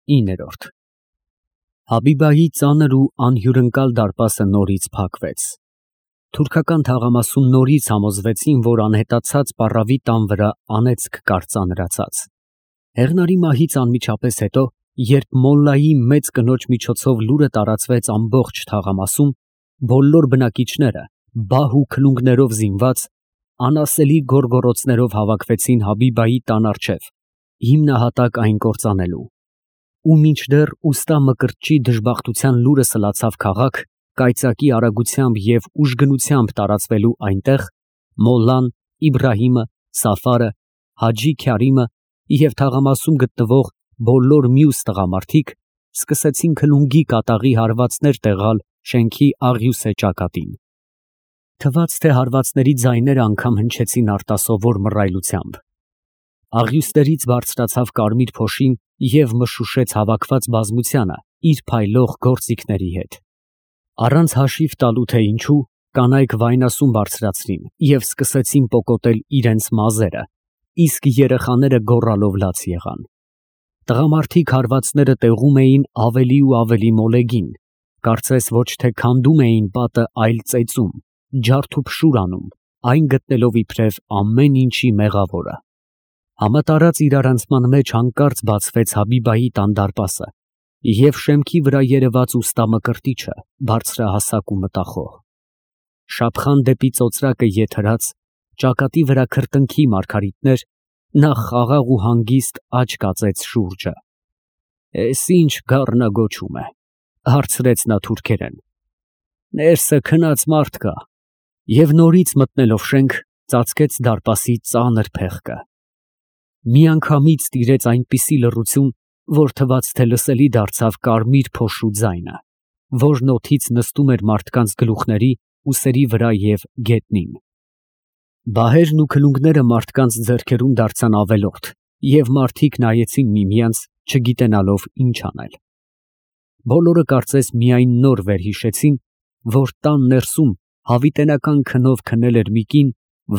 9 Հաբիբայի ծանր ու անհյուրընկալ դարպասը նորից փակվեց։ Թուրքական թաղամասում նորից համոզվեցին, որ անհետացած պառավի տան վրա անեծք կար ծանրացած։ Հեղնարի մահից անմիջապես հետո, երբ մոլլայի մեծ կնոջ միջոցով լուրը տարածվեց ամբողջ թաղամասում, բոլոր բնակիչները, բահ ու քլունգներով զինված, անասելի գոռգոռոցներով հավաքվեցին Հաբիբայի տան առջև, հիմնահատակ այն կործանելու։ Ու մինչդեռ ուստա Մկրտչի դժբախտության լուրը սլացավ քաղաք, կայծակի արագությամբ և ուժգնությամբ տարածվելու այնտեղ, մոլլան, Իբրահիմը, Սաֆարը, Հաջի Քյարիմը և թաղամասում գտնվող բոլոր մյուս տղամարդիկ սկսեցին քլունգի կատաղի հարվածներ տեղալ շենքի աղյուսե ճակատին։ Թվաց, թե հարվածների ձայները անգամ հնչեցին արտասովոր մռայլությամբ։ Աղյուսներից բարձրացավ կարմիր փոշին և մշուշեց հավաքված բազմությանը իր փայլող գործիքների հետ։ Առանց հաշիվ տալու, թե ինչու, կանայք վայնասուն բարձրացրին և սկսեցին պոկոտել իրենց մազերը, իսկ երեխաները գոռալով լաց եղան։ Տղամարդիկ հարվածները տեղում էին ավելի ու ավելի մոլեգին, կարծես ոչ թե քանդում էին պատը, այլ ծեծում, ջարդուփշուր անում, այն գտնելով իբրև ամեն ինչի մեղավորը։ Համատարած իրարանցման մեջ հանկարծ բացվեց Հաբիբայի տան դարպասը, և շեմքի վրա երևաց ուստա Մկրտիչը, բարձրահասակ ու մտախոհ։ Շափխան դեպի ծոծրակը եթերած, ճակատի վրա քրտնքի մարգարիտներ, նա խաղաղ ու հանգիստ աջ կածեց շուրջը։ «Էս ի՞նչ գառնագոչում է», հարցրեց նա թուրքերեն։ «Ներսը քնած մարդ կա» և նորից մտնելով շենք, ծածկեց դարպասի ծանր փեղկը։ Միանգամից տիրեց այնպիսի լռություն, որ թվաց, թե լսելի դարձավ կարմիր փոշու ձայնը, որն օդից նստում էր մարդկանց գլուխների, ուսերի վրա և գետնին։ Բահերն ու քլունգները մարդկանց ձեռքերում դարձան ավելորդ, և մարդիկ նայեցին միմյանց, չգիտենալով ինչ անել։ Բոլորը կարծես միայն նոր վերհիշեցին, որ տան ներսում հավիտենական քնով քնել էր մի կին,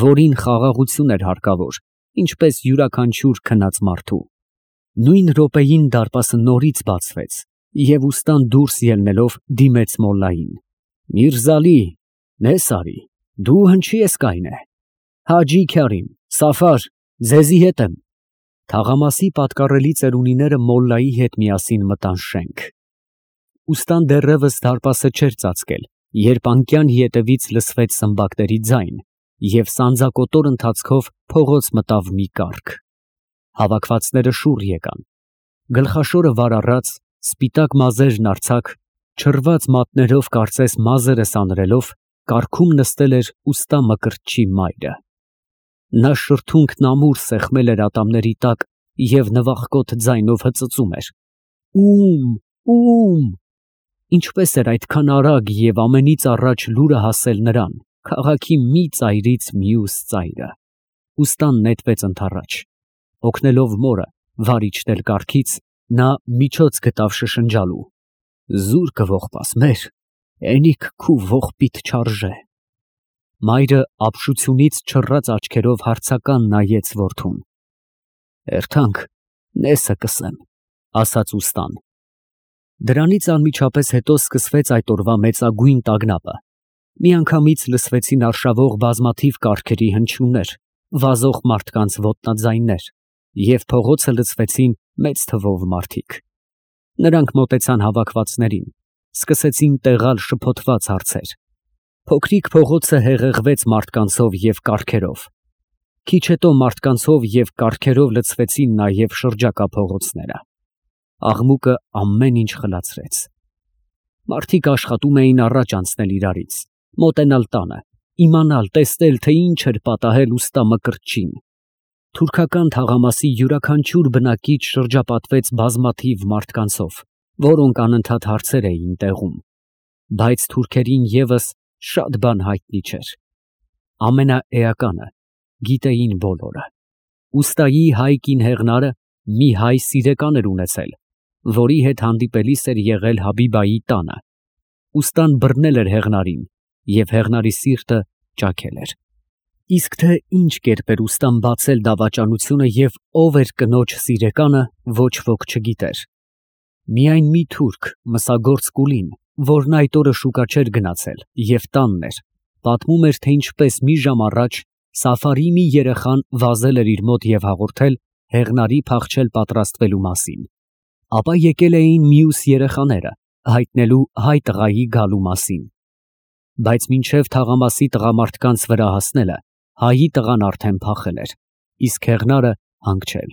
որին խաղաղություն էր հարկավոր, ինչպես յուրաքանչյուր քնած մարդու։ Նույն րոպեին դարպասը նորից բացվեց, և ուստան դուրս ելնելով դիմեց մոլլային։ «Միրզալի, նես արի, դու հնչի ես կայնե։ Հաջի Քյարիմ, Սաֆար, ձեզի հետ եմ»։ Թաղամասի պատկառելի ծերունիները մոլլայի հետ միասին մտան շենք։ Ուստան դեռևս դարպասը չէր ծածկել, երբ անկյան ետևից լսվեց սմբակների ձայն, և սանձակոտոր ընթացքով փողոց մտավ մի կառք։ Հավաքվածները շուռ եկան։ Գլխաշորը վար առած, սպիտակ մազերն արձակ, չռված մատներով կարծես մազերը սանրելով, կառքում նստել էր ուստա Մկրտչի մայրը։ Նա շրթունքն ամուր սեղմել էր ատամների տակ և նվախկոտ ձայնով հծծում էր. Ում։ Ինչպես էր այդքան արագ և ամենից առաջ լուրը հասել նրան, քաղաքի մի ծայրից մյուս ծայրը։ Ուստան նետվեց ընդառաջ։ Օգնելով մորը վար իջնել կառքից, նա միջոց գտավ շշնջալու. «Զուր կողպաս մեր, էնիկ քու ողբիդ չարժե»։ Մայրը ապշությունից չռած աչքերով հարցական նայեց որդուն։ «Էրթանք, նեսը կսեմ», ասաց ուստան։ Դրանից անմիջապես հետո սկսվեց այդ օրվա մեծագույն տագնապը։ Միանգամից լսվեցին արշավող բազմաթիվ կառքերի հնչյուններ, վազող մարդկանց ոտնաձայններ, և փողոցը լցվեցին մեծ թվով մարդիկ։ Նրանք մոտեցան հավաքվածներին, սկսեցին տեղալ շփոթված հարցեր։ Փոքրիկ փողոցը հեղեղվեց մարդկանցով և կառքերով։ Քիչ հետո մարդկանցով և կառքերով լցվեցին նաև շրջակա փողոցները։ Աղմուկը ամեն ինչ խլացրեց։ Մարդիկ աշխատում էին առաջ անցնել իրարից, մոտենալ տանը, իմանալ, տեսնել, թե ինչ էր պատահել ուստա Մկրտչին։ Թուրքական թաղամասի յուրաքանչյուր բնակիչ շրջապատվեց բազմաթիվ մարդկանցով, որոնք անընդհատ հարցեր էին տեղում։ Բայց թուրքերին ևս շատ բան հայտնի չէր։ Ամենաէականը գիտեին բոլորը. ուստայի հայ կին Հեղնարը մի հայ սիրեկան էր ունեցել, որի հետ հանդիպելիս էր եղել Հաբիբայի տանը։ Ուստան բռնել էր Հեղնարին, և Հեղնարի սիրտը ճաքել էր։ Իսկ թե ինչ կերպ էր ուստան բացել դավաճանությունը և ով էր կնոջ սիրեկանը, ոչ ոք չգիտեր։ Միայն մի թուրք, մսագործ Կուլին, որն այդ օրը շուկա չէր գնացել և տանն էր, պատմում էր, թե ինչպես մի ժամ առաջ Սաֆարի մի երեխան վազել էր իր մոտ և հաղորդել հեղնարի փախչել պատրաստվելու մասին, ապա եկել էին մյուս երեխաները, հայտնելու հայ տղայի գալու մասին, բայց մինչև թաղամասի տղամարդկանց վրա հասնելը, հայի տղան արդեն փախել էր, իսկ հեղնարը հանգչել։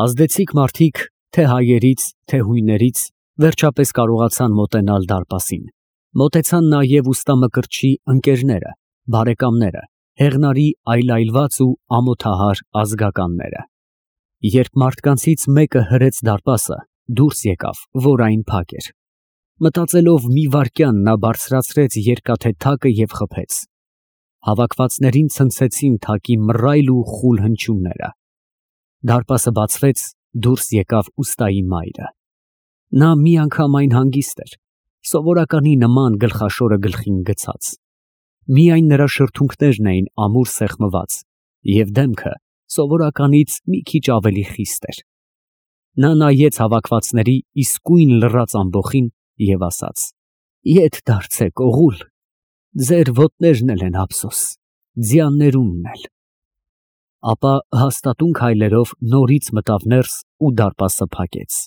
Ազդեցիկ մարդիկ, թե հայերից, թե հույներից, վերջապես կարողացան մոտենալ դարպասին, մոտեցան նաև ուստամկրտչի ընկերները, բարեկամները, հեղնարի այլայլված ու ամոթահար ազգականները։ Երբ մարդկանցից մեկը հրեց դարպասը, դուրս եկավ, որ այն փակ էր։ Մտածելով մի վայրկյան նա բարձրացրեց երկաթե թակը և խփեց։ Հավաքվածներին ցնցեցին թակի մռայլ ու խուլ հնչյունները։ Դարպասը բացվեց, դուրս եկավ ուստայի մայրը։ Նա մի անգամ այն հանգիստ էր, սովորականի նման գլխաշորը գլխին գցած։ Միայն նրա շրթունքներն էին ամուր սեղմված և դեմքը սովորականից մի քիչ ավելի խիստ էր։ Նա նայեց հավաքվածների իսկույն լռած ամբոխին և ասաց. «Ետ դարձեք, օղուլ, ձեր ոտներն էլ են ափսոս, ձյաններունն էլ»։ Ապա հաստատուն քայլերով նորից մտավ ներս ու դարպասը փակեց։